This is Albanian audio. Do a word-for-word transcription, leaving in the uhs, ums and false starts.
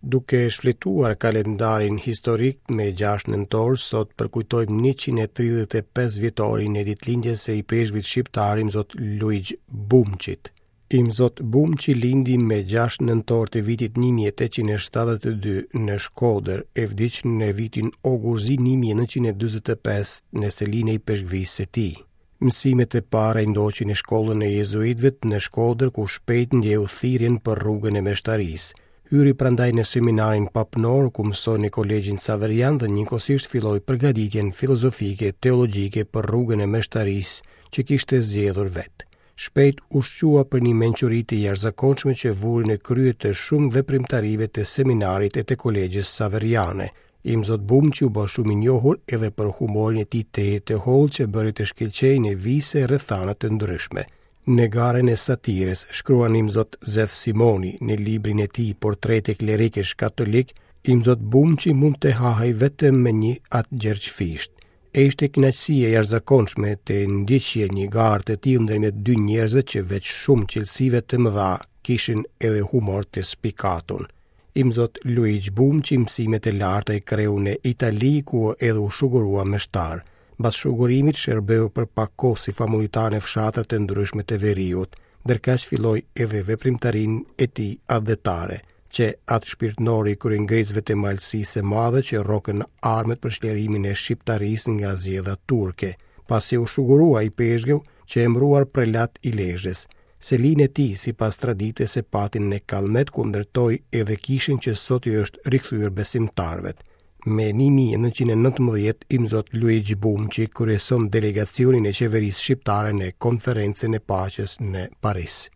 Duke shfletuar kalendarin historik me gjashtë nëntor, sot përkujtojmë njëqind e tridhjetë e pesë vjetorin e ditëlindjes së ipeshkvit shqiptar Imzot Luigj Bumçit. Imzot Bumçi lindi me gjashtë nëntor të vitit një mijë e tetëqind e shtatëdhjetë e dy në Shkodër e vdiq në vitin Ogurzi një mijë e nëntëqind e dyzet e pesë në selinë e ipeshkvisë së tij. Mësimet e para i ndoqi në shkollën e jezuitëve në Shkodër, ku shpejt ndjeu thirrjen për rrugën e meshtarisë. Hyri prandaj në seminarin papnor, ku mësoi në kolegjin Saverian dhe njëkohësisht filloi përgatitjen filozofike teologjike për rrugën e meshtarisë që kishte zgjedhur vetë. Shpejt u shqua për një mençuri të jashtëzakonshme që vuri në krye të shumë veprimtarive të seminarit e të kolegjës Saveriane. Imzot Bumçi u bë shumë i njohur edhe për humorin e tij të të hollë që bëri të shkëlqejë në vise e rrethana të ndryshme. Në garën e satirës, shkruan Imzot Zef Simoni në librin e tij Portrete klerikësh katolik, Imzot Bumçi mund të hahej vetëm me një Atë Gjergj Fisht. E ishte kënaqësi e jashtëzakonshme të ndiqje një garë të tillë ndërmjet dy njerëzve që veç shumë cilësive të mëdha kishin edhe humor të spikatun. Imzot Luigj Bumçi mësimet e larta i kreu në Itali, ku edhe u shugurua meshtar. Mbas shugurimit shërbeu për pak kohë si famullitar në fshatra të ndryshme të veriut, ndërkaq filloi edhe veprimtarinë e tij atdhetare, që atë shpirtnori i kryengritësve të Malësisë së Madhe që rrokën armët për çlirimin e shqiptarisë nga zgjedha turke, pasi u shugurua i peshgëu që emëruar prelat i Lezhës. Selinë e tij, sipas traditës, e pati në Kallmet, ku ndërtoi edhe kishën që sot i është rikthyer besimtarëve. Me një mijë e nëntëqind e nëntëmbëdhjetë, Imzot Luigj Bumçi kryeson delegacionin e qeverisë shqiptare në konferencën e paqes në Paris.